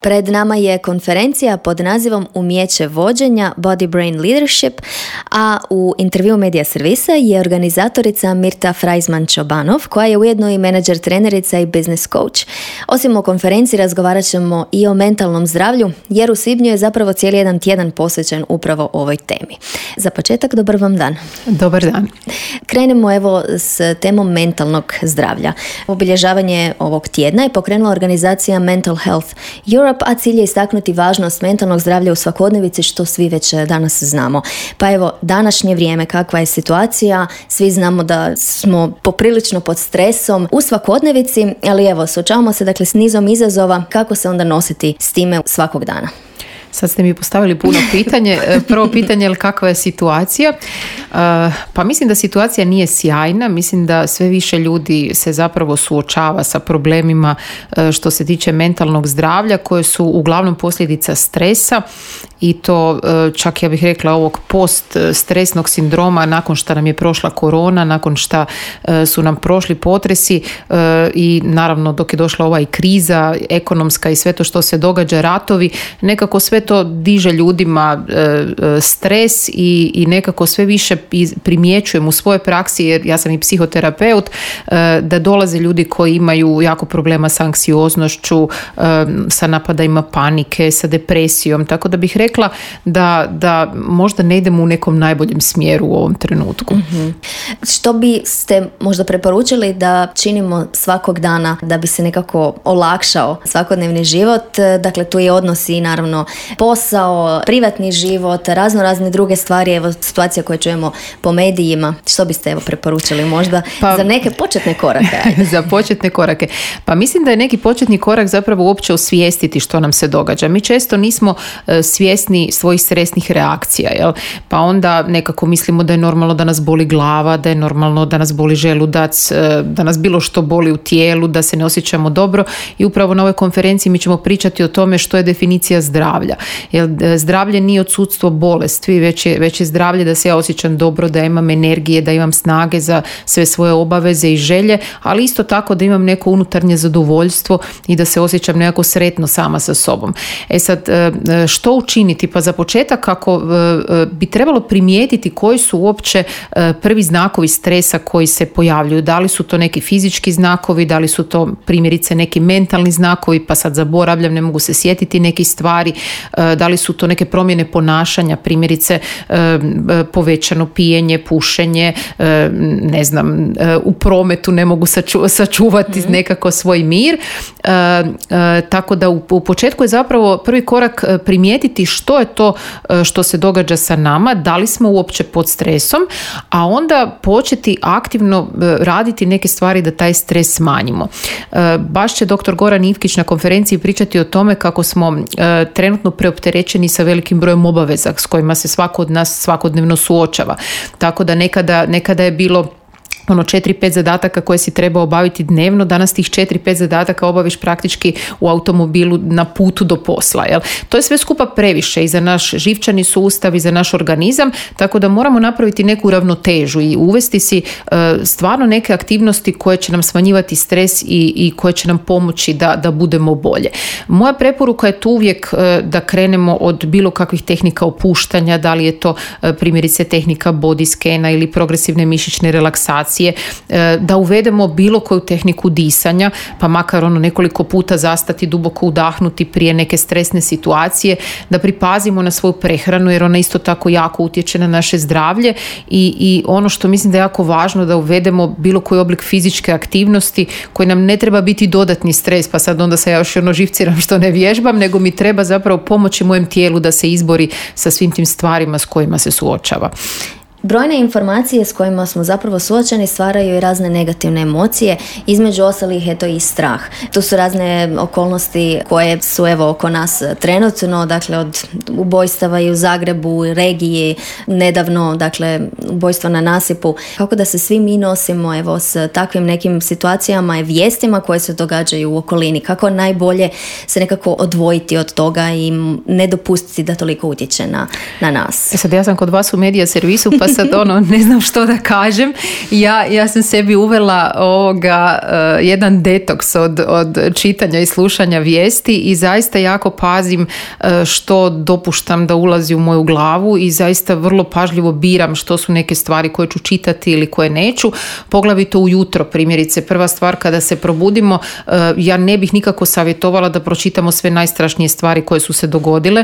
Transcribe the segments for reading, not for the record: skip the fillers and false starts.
Pred nama je konferencija pod nazivom Umijeće vođenja Body Brain Leadership, a u intervju Medija Servisa je organizatorica Mirta Freizman-Čobanov, koja je ujedno i menadžer, trenerica i business coach. Osim o konferenciji razgovarat ćemo i o mentalnom zdravlju, jer u svibnju je zapravo cijeli jedan tjedan posvećen upravo ovoj temi. Za početak, dobar vam dan. Dobar dan. Krenemo evo s temom mentalnog zdravlja. Obilježavanje ovog tjedna je pokrenula organizacija Mental Health Europe, a cilj je istaknuti važnost mentalnog zdravlja u svakodnevici, što svi već danas znamo. Pa evo, današnje vrijeme, kakva je situacija, svi znamo da smo poprilično pod stresom u svakodnevici, ali evo, suočavamo se dakle s nizom izazova, kako se onda nositi s time svakog dana. Sad ste mi postavili puno pitanje. Prvo pitanje je kakva je situacija. Pa mislim da situacija nije sjajna. Mislim da sve više ljudi se zapravo suočava sa problemima što se tiče mentalnog zdravlja, koje su uglavnom posljedica stresa i to čak ja bih rekla ovog post-stresnog sindroma nakon što nam je prošla korona, nakon što su nam prošli potresi i naravno dok je došla ova i kriza ekonomska i sve to što se događa, ratovi, nekako sve to diže ljudima stres i nekako sve više primjećujem u svojoj praksi, jer ja sam i psihoterapeut, da dolaze ljudi koji imaju jako problema s anksioznošću, sa napadajima panike, sa depresijom, tako da bih rekla da možda ne idemo u nekom najboljem smjeru u ovom trenutku. Mm-hmm. Što biste možda preporučili da činimo svakog dana da bi se nekako olakšao svakodnevni život? Dakle, tu je odnosi i naravno posao, privatni život, razne druge stvari, evo situacija koje čujemo po medijima. Što biste evo preporučili možda za neke početne korake? Za početne korake. Pa mislim da je neki početni korak zapravo uopće osvijestiti što nam se događa. Mi često nismo svjesni svojih stresnih reakcija, jel? Pa onda nekako mislimo da je normalno da nas boli glava, da je normalno da nas boli želudac, da nas bilo što boli u tijelu, da se ne osjećamo dobro, i upravo na ovoj konferenciji mi ćemo pričati o tome što je definicija zdravlja. Jer zdravlje nije odsudstvo bolesti, već je zdravlje da se ja osjećam dobro, da imam energije, da imam snage za sve svoje obaveze i želje, ali isto tako da imam neko unutarnje zadovoljstvo i da se osjećam nekako sretno sama sa sobom. Sad, što učiniti? Pa za početak, ako bi trebalo primijetiti koji su uopće prvi znakovi stresa koji se pojavljuju. Da li su to neki fizički znakovi, da li su to primjerice neki mentalni znakovi, pa sad zaboravljam, ne mogu se sjetiti nekih stvari, da li su to neke promjene ponašanja, primjerice povećano pijenje, pušenje, ne znam, u prometu ne mogu sačuvati nekako svoj mir. Tako da u početku je zapravo prvi korak primijetiti što je to što se događa sa nama, da li smo uopće pod stresom, a onda početi aktivno raditi neke stvari da taj stres smanjimo. Baš će dr. Goran Ivkić na konferenciji pričati o tome kako smo trenutno preopterećeni sa velikim brojem obaveza s kojima se svako od nas svakodnevno suočava. Tako da nekada je bilo 4-5 zadataka koje si treba obaviti dnevno, danas tih 4-5 zadataka obaviš praktički u automobilu na putu do posla. Jel? To je sve skupa previše i za naš živčani sustav i za naš organizam, tako da moramo napraviti neku ravnotežu i uvesti si stvarno neke aktivnosti koje će nam smanjivati stres i koje će nam pomoći da budemo bolje. Moja preporuka je tu uvijek da krenemo od bilo kakvih tehnika opuštanja, da li je to primjerice tehnika body scana ili progresivne mišićne relaksacije, da uvedemo bilo koju tehniku disanja, pa makar nekoliko puta zastati, duboko udahnuti prije neke stresne situacije, da pripazimo na svoju prehranu jer ona isto tako jako utječe na naše zdravlje i ono što mislim da je jako važno, da uvedemo bilo koji oblik fizičke aktivnosti koji nam ne treba biti dodatni stres, pa sad onda se ja još živciram što ne vježbam, nego mi treba zapravo pomoći mojem tijelu da se izbori sa svim tim stvarima s kojima se suočava. Brojne informacije s kojima smo zapravo suočeni stvaraju i razne negativne emocije, između ostalih je to i strah. Tu su razne okolnosti koje su evo oko nas trenutno, dakle od ubojstava i u Zagrebu, regiji, nedavno, dakle ubojstvo na nasipu. Kako da se svi mi nosimo evo s takvim nekim situacijama i vijestima koje se događaju u okolini, kako najbolje se nekako odvojiti od toga i ne dopustiti da toliko utječe na nas. Sad ja sam kod vas u Medija Servisu, pa sad ne znam što da kažem. Ja sam sebi uvela jedan detoks od čitanja i slušanja vijesti i zaista jako pazim što dopuštam da ulazi u moju glavu i zaista vrlo pažljivo biram što su neke stvari koje ću čitati ili koje neću, poglavito ujutro primjerice. Prva stvar kada se probudimo, ja ne bih nikako savjetovala da pročitamo sve najstrašnije stvari koje su se dogodile.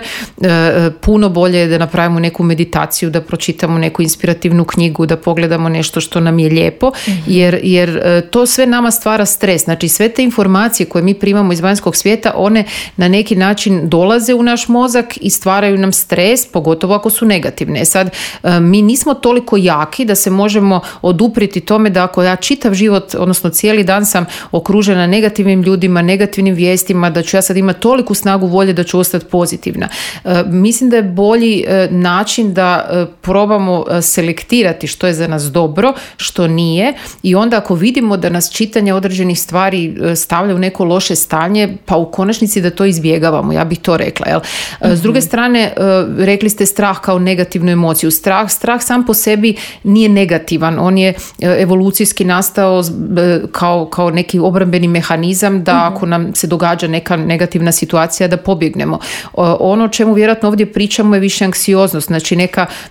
Puno bolje je da napravimo neku meditaciju, da pročitamo neku inspirativnu knjigu, da pogledamo nešto što nam je lijepo, jer to sve nama stvara stres. Znači sve te informacije koje mi primamo iz vanjskog svijeta, one na neki način dolaze u naš mozak i stvaraju nam stres, pogotovo ako su negativne. Sad, mi nismo toliko jaki da se možemo oduprijeti tome da ako ja čitav život, odnosno cijeli dan sam okružena negativnim ljudima, negativnim vijestima, da ću ja sad imati toliku snagu volje da ću ostati pozitivna. Mislim da je bolji način da probamo selektirati što je za nas dobro, što nije, i onda ako vidimo da nas čitanje određenih stvari stavlja u neko loše stanje, pa u konačnici da to izbjegavamo, ja bih to rekla. Jel? S druge strane, rekli ste strah kao negativnu emociju. Strah sam po sebi nije negativan, on je evolucijski nastao kao neki obrambeni mehanizam da ako nam se događa neka negativna situacija da pobjegnemo. Ono o čemu vjerojatno ovdje pričamo je više anksioznost, znači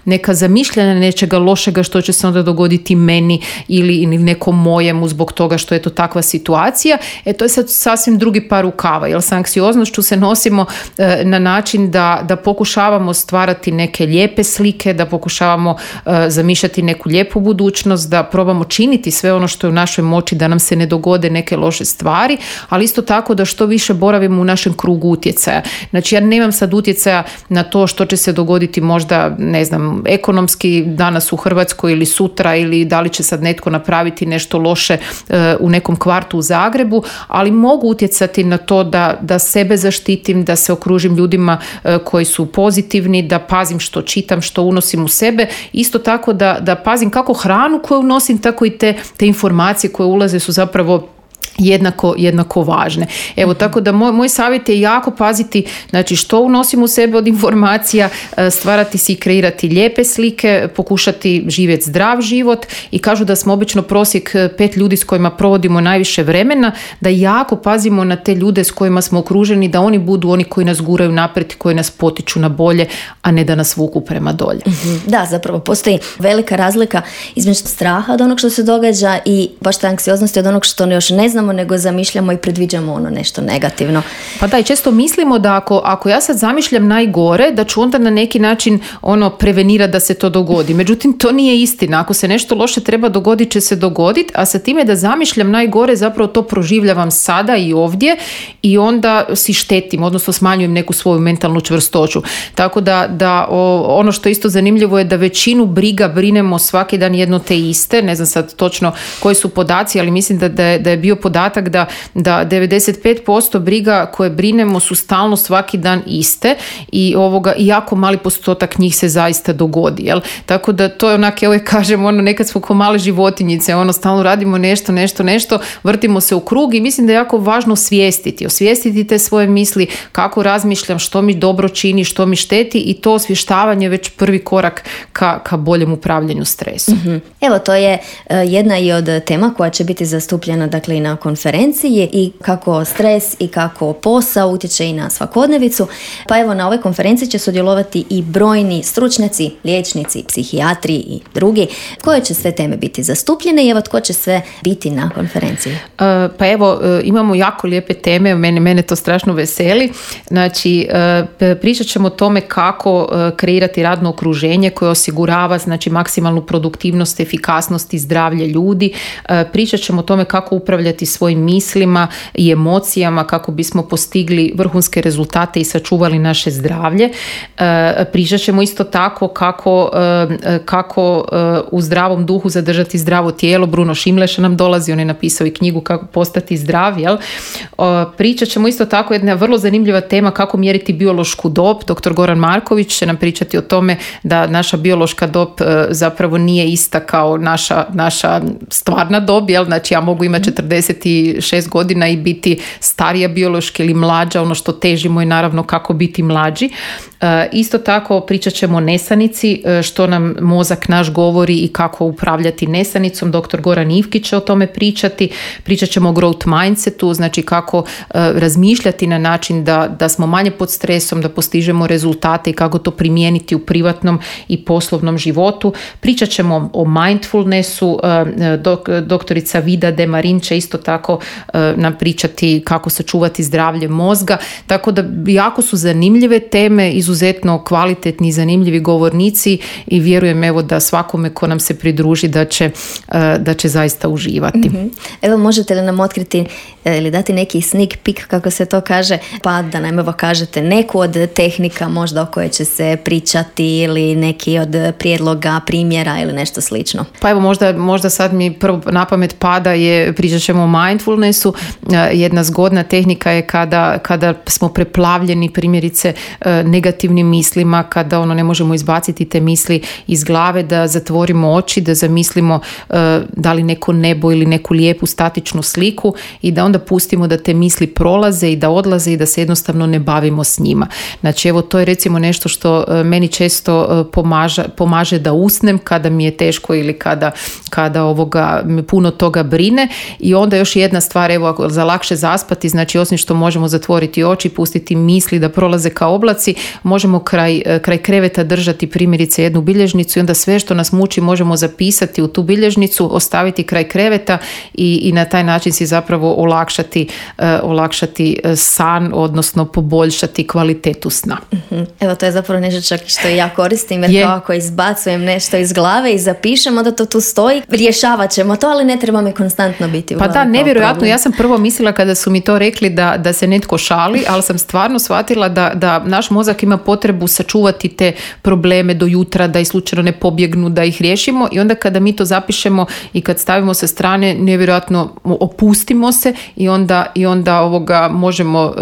neka zamišljanja nečega lošega što će se onda dogoditi meni ili nekom mojemu zbog toga što je to takva situacija. To je sad sasvim drugi par rukava, jer sa anksioznošću se nosimo na način da pokušavamo stvarati neke lijepe slike, da pokušavamo zamišljati neku lijepu budućnost, da probamo činiti sve ono što je u našoj moći da nam se ne dogode neke loše stvari, ali isto tako da što više boravimo u našem krugu utjecaja. Znači ja nemam sad utjecaja na to što će se dogoditi možda, ne znam, ekonomski danas u Hrvatskoj ili sutra, ili da li će sad netko napraviti nešto loše u nekom kvartu u Zagrebu, ali mogu utjecati na to da sebe zaštitim, da se okružim ljudima koji su pozitivni, da pazim što čitam, što unosim u sebe. Isto tako da pazim kako hranu koju unosim, tako i te informacije koje ulaze su zapravo jednako važne. Evo, tako da moj savjet je jako paziti, znači što unosim u sebe od informacija, stvarati si i kreirati lijepe slike, pokušati živjeti zdrav život, i kažu da smo obično prosjek 5 ljudi s kojima provodimo najviše vremena, da jako pazimo na te ljude s kojima smo okruženi, da oni budu oni koji nas guraju naprijed, koji nas potiču na bolje, a ne da nas vuku prema dolje. Da, zapravo postoji velika razlika između straha od onog što se događa i baš ta anksioznosti od onog što još ne znamo, nego zamišljamo i predviđamo nešto negativno. Pa da, i često mislimo da ako ja sad zamišljam najgore, da ću onda na neki način prevenirati da se to dogodi. Međutim, to nije istina. Ako se nešto loše treba dogoditi, će se dogoditi, a sa time da zamišljam najgore, zapravo to proživljavam sada i ovdje, i onda si štetim, odnosno smanjujem neku svoju mentalnu čvrstoću. Tako da ono što je isto zanimljivo je da većinu briga brinemo svaki dan jedno te iste. Ne znam sad točno koji su podaci, ali mislim da je bio podatak da 95% briga koje brinemo su stalno svaki dan iste, i jako mali postotak njih se zaista dogodi. Jel? Tako da to je onak, ja uvijek kažem, nekad smo kao male životinjice, stalno radimo nešto, vrtimo se u krug, i mislim da je jako važno osvijestiti te svoje misli, kako razmišljam, što mi dobro čini, što mi šteti, i to osvještavanje je već prvi korak ka boljem upravljanju stresom. Evo, to je jedna i od tema koja će biti zastupljena dakle i na konferenciji, i kako stres i kako posao utječe i na svakodnevicu. Pa evo, na ovoj konferenciji će sudjelovati i brojni stručnjaci, liječnici, psihijatri i drugi. Koje će sve teme biti zastupljene i evo tko će sve biti na konferenciji? Pa evo, imamo jako lijepe teme, mene to strašno veseli. Znači, pričat ćemo o tome kako kreirati radno okruženje koje osigurava znači maksimalnu produktivnost, efikasnost i zdravlje ljudi. Pričat ćemo o tome kako upravljati svojim mislima i emocijama kako bismo postigli vrhunske rezultate i sačuvali naše zdravlje. Pričat ćemo isto tako kako u zdravom duhu zadržati zdravo tijelo. Bruno Šimleša nam dolazi, on je napisao i knjigu Kako postati zdrav. Jel? Pričat ćemo isto tako jedna vrlo zanimljiva tema kako mjeriti biološku dob. Dr. Goran Marković će nam pričati o tome da naša biološka dob zapravo nije ista kao naša stvarna dob. Jel? Znači ja mogu imati 56 godina i biti starija biološki ili mlađa, ono što težimo je naravno kako biti mlađi. Isto tako pričat ćemo o nesanici, što nam mozak naš govori i kako upravljati nesanicom. Dr. Goran Ivkić će o tome pričati. Pričat ćemo o growth mindsetu, znači kako razmišljati na način da smo manje pod stresom, da postižemo rezultate i kako to primijeniti u privatnom i poslovnom životu. Pričat ćemo o mindfulnessu. Doktorica Vida Demarin će isto tako nam pričati kako sačuvati zdravlje mozga. Tako da jako su zanimljive teme, izuzetno kvalitetni i zanimljivi govornici i vjerujem evo da svakome ko nam se pridruži da će zaista uživati. Mm-hmm. Evo, možete li nam otkriti ili dati neki sneak peek, kako se to kaže, pa da nam evo kažete neku od tehnika možda o kojoj će se pričati ili neki od prijedloga, primjera ili nešto slično? Pa evo možda sad mi prvo na pamet pada pričat ćemo o mindfulnessu. Jedna zgodna tehnika je kada smo preplavljeni primjerice negativnim mislima, kada ne možemo izbaciti te misli iz glave, da zatvorimo oči, da zamislimo da li neko nebo ili neku lijepu statičnu sliku i da onda pustimo da te misli prolaze i da odlaze i da se jednostavno ne bavimo s njima. Znači evo to je recimo nešto što meni često pomaže da usnem kada mi je teško ili kada me puno toga brine. I onda još jedna stvar, evo za lakše zaspati, znači osim što možemo zatvoriti oči, pustiti misli da prolaze kao oblaci, možemo kraj kreveta držati primjerice jednu bilježnicu i onda sve što nas muči možemo zapisati u tu bilježnicu, ostaviti kraj kreveta i na taj način si zapravo olakšati san, odnosno poboljšati kvalitetu sna. Mm-hmm. Evo to je zapravo nešto čak što ja koristim, jer kao ako izbacujem nešto iz glave i zapišem, onda to tu stoji, rješavat ćemo to, ali ne treba mi konstantno biti u glavi. Pa da, nevjerojatno, ja sam prvo mislila kada su mi to rekli da se netko šali, ali sam stvarno shvatila da naš mozak ima potrebu sačuvati te probleme do jutra, da ih slučajno ne pobjegnu, da ih riješimo i onda kada mi to zapišemo i kad stavimo sa strane, nevjerojatno opustimo se i onda možemo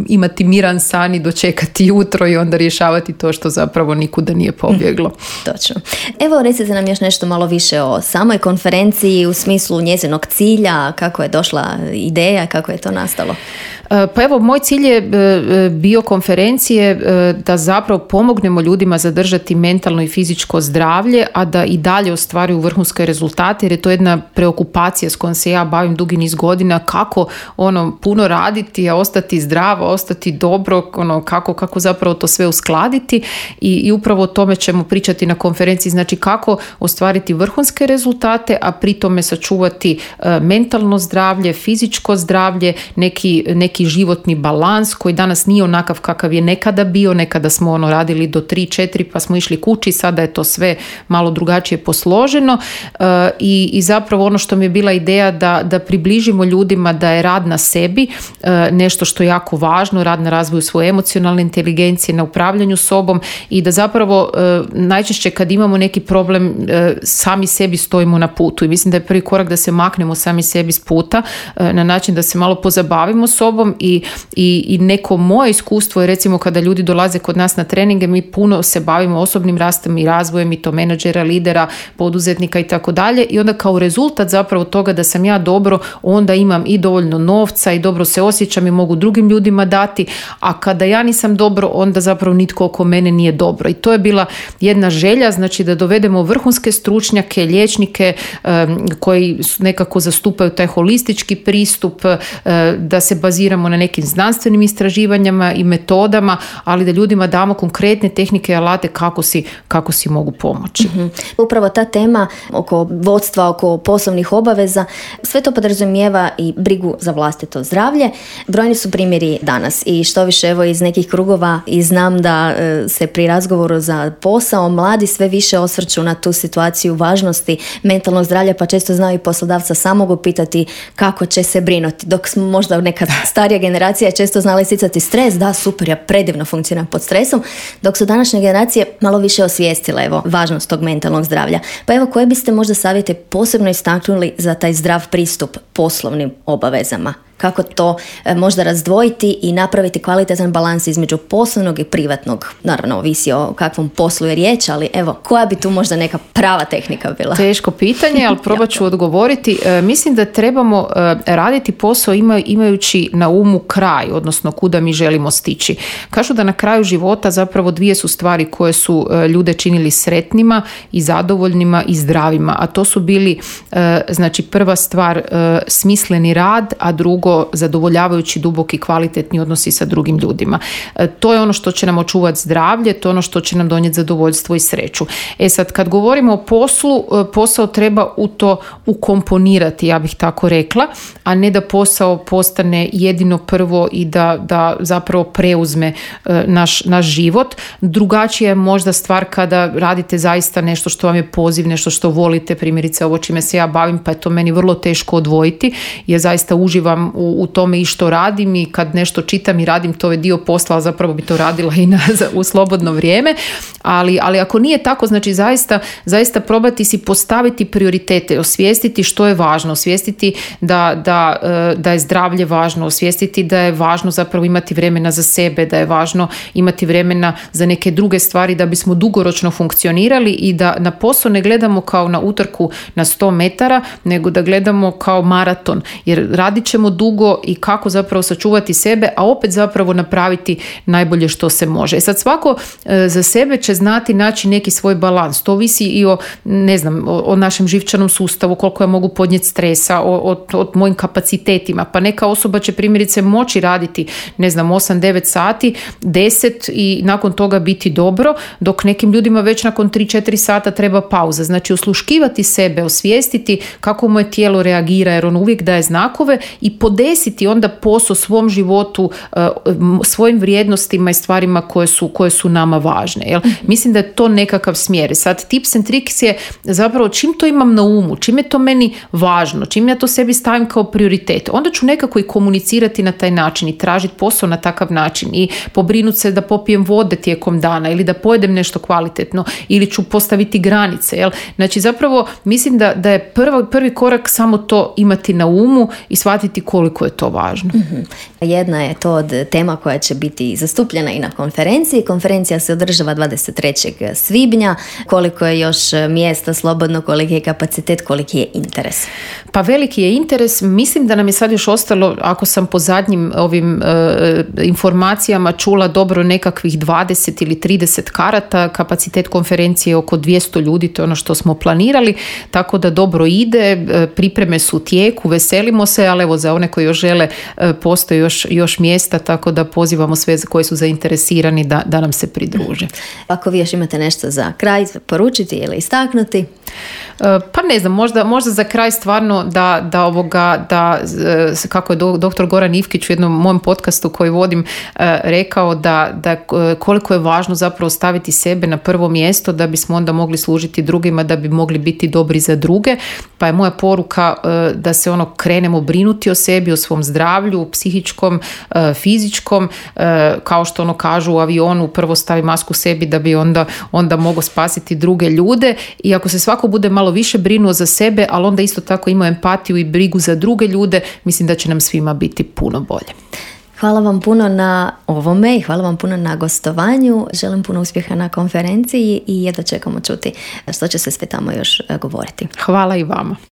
imati miran san i dočekati jutro i onda rješavati to što zapravo nikuda nije pobjeglo. Točno. Evo recite nam još nešto malo više o samoj konferenciji u smislu njezinog cilja, kako je došla ideja, kako je to nastalo? Pa evo, moj cilj je bio konferencije da zapravo pomognemo ljudima zadržati mentalno i fizičko zdravlje, a da i dalje ostvaruju vrhunske rezultate, jer je to jedna preokupacija s kojom se ja bavim dugi niz godina, kako puno raditi, a ostati zdravo, ostati dobro, kako zapravo to sve uskladiti i upravo o tome ćemo pričati na konferenciji, znači kako ostvariti vrhunske rezultate, a pri tome sačuvati mentalno zdravlje, fizičko zdravlje, neki životni balans koji danas nije onakav kakav je nekada bio. Nekada smo radili do 3-4 pa smo išli kući, sada je to sve malo drugačije posloženo i zapravo ono što mi je bila ideja da približimo ljudima da je rad na sebi nešto što je jako važno, rad na razvoju svoje emocionalne inteligencije, na upravljanju sobom i da zapravo najčešće kad imamo neki problem sami sebi stojimo na putu i mislim da je prvi korak da se maknemo sami sebi s puta na način da se malo pozabavimo sobom i neko moje iskustvo je recimo kada ljudi dolaze kod nas na treninge, mi puno se bavimo osobnim rastom i razvojem i to menadžera, lidera, poduzetnika i tako dalje i onda kao rezultat zapravo toga da sam ja dobro, onda imam i dovoljno novca i dobro se osjećam i mogu drugim ljudima dati, a kada ja nisam dobro, onda zapravo nitko oko mene nije dobro i to je bila jedna želja, znači da dovedemo vrhunske stručnjake, liječnike koji nekako zastupaju taj holistički pristup, da se baziramo na nekim znanstvenim istraživanjima i metodama, ali da ljudima damo konkretne tehnike i alate kako si mogu pomoći. Mm-hmm. Upravo ta tema oko vodstva, oko poslovnih obaveza, sve to podrazumijeva i brigu za vlastito zdravlje. Brojni su primjeri danas i što više evo iz nekih krugova i znam da se pri razgovoru za posao mladi sve više osvrću na tu situaciju važnosti mentalnog zdravlja, pa često znaju i poslodavca samog upitati kako će se brinuti, dok smo možda neka starija generacija često znala isticati stres, da super, ja predivno funkcioniram pod stresom, dok su današnje generacije malo više osvijestile važnost tog mentalnog zdravlja. Pa evo, koje biste možda savjete posebno istaknuli za taj zdrav pristup poslovnim obavezama? Kako to možda razdvojiti i napraviti kvalitetan balans između poslovnog i privatnog. Naravno, ovisi o kakvom poslu je riječ, ali evo, koja bi tu možda neka prava tehnika bila? Teško pitanje, ali probat ću odgovoriti. Mislim da trebamo raditi posao imajući na umu kraj, odnosno kuda mi želimo stići. Kažu da na kraju života zapravo dvije su stvari koje su ljude činili sretnima i zadovoljnima i zdravima, a to su bili, znači prva stvar smisleni rad, a drugo zadovoljavajući duboki kvalitetni odnosi sa drugim ljudima. To je ono što će nam očuvati zdravlje, to je ono što će nam donijeti zadovoljstvo i sreću. Sad, kad govorimo o poslu, posao treba u to ukomponirati, ja bih tako rekla, a ne da posao postane jedino prvo i da zapravo preuzme naš život. Drugačija je možda stvar kada radite zaista nešto što vam je poziv, nešto što volite, primjerice ovo čime se ja bavim, pa je to meni vrlo teško odvojiti, jer zaista uživam u tome i što radim, i kad nešto čitam i radim, to je dio posla, a zapravo bi to radila i u slobodno vrijeme, ali ako nije tako, znači zaista probati si postaviti prioritete, osvijestiti što je važno, osvijestiti da je zdravlje važno, osvijestiti da je važno zapravo imati vremena za sebe, da je važno imati vremena za neke druge stvari da bismo dugoročno funkcionirali i da na posao ne gledamo kao na utrku na 100 metara, nego da gledamo kao maraton, jer radit ćemo dugo i kako zapravo sačuvati sebe, a opet zapravo napraviti najbolje što se može. Sad svako za sebe će znati naći neki svoj balans. To ovisi i o našem živčanom sustavu, koliko ja mogu podnijeti stresa, o mojim kapacitetima. Pa neka osoba će primjerice moći raditi 8-9 sati, 10 i nakon toga biti dobro, dok nekim ljudima već nakon 3-4 sata treba pauza. Znači osluškivati sebe, osvijestiti kako moje tijelo reagira, jer ono uvijek daje znakove, i podesiti onda posao svom životu, svojim vrijednostima i stvarima koje su nama važne. Jel? Mislim da je to nekakav smjer. Sad tips and tricks je zapravo čim to imam na umu, čim je to meni važno, čim ja to sebi stavim kao prioritet, onda ću nekako i komunicirati na taj način i tražiti posao na takav način i pobrinuti se da popijem vode tijekom dana ili da pojedem nešto kvalitetno ili ću postaviti granice. Jel? Znači zapravo mislim da je prvi korak samo to imati na umu i shvatiti koliko je to važno. Mm-hmm. Jedna je to od tema koja će biti zastupljena i na konferenciji. Konferencija se održava 23. svibnja. Koliko je još mjesta slobodno, koliki je kapacitet, koliki je interes? Pa veliki je interes. Mislim da nam je sad još ostalo, ako sam po zadnjim ovim informacijama čula, dobro nekakvih 20 ili 30 karata. Kapacitet konferencije je oko 200 ljudi, to je ono što smo planirali, tako da dobro ide, pripreme su u tijeku, veselimo se, ali evo za one koji još žele postoji još mjesta, tako da pozivamo sve koji su zainteresirani da nam se pridruže. Ako vi još imate nešto za kraj poručiti ili istaknuti? Pa ne znam, možda za kraj stvarno da kako je doktor Goran Ivkić u jednom mojem podcastu koji vodim rekao da koliko je važno zapravo staviti sebe na prvo mjesto da bismo onda mogli služiti drugima, da bi mogli biti dobri za druge, pa je moja poruka da se krenemo brinuti o sebi, o svom zdravlju, psihičkom, fizičkom, kao što kažu u avionu, prvo stavi masku sebi da bi onda mogao spasiti druge ljude, i ako se svako bude malo više brinuo za sebe, ali onda isto tako imao empatiju i brigu za druge ljude, mislim da će nam svima biti puno bolje. Hvala vam puno na ovome i hvala vam puno na gostovanju. Želim puno uspjeha na konferenciji i jedva čekamo čuti što će se sve tamo još govoriti. Hvala i vama.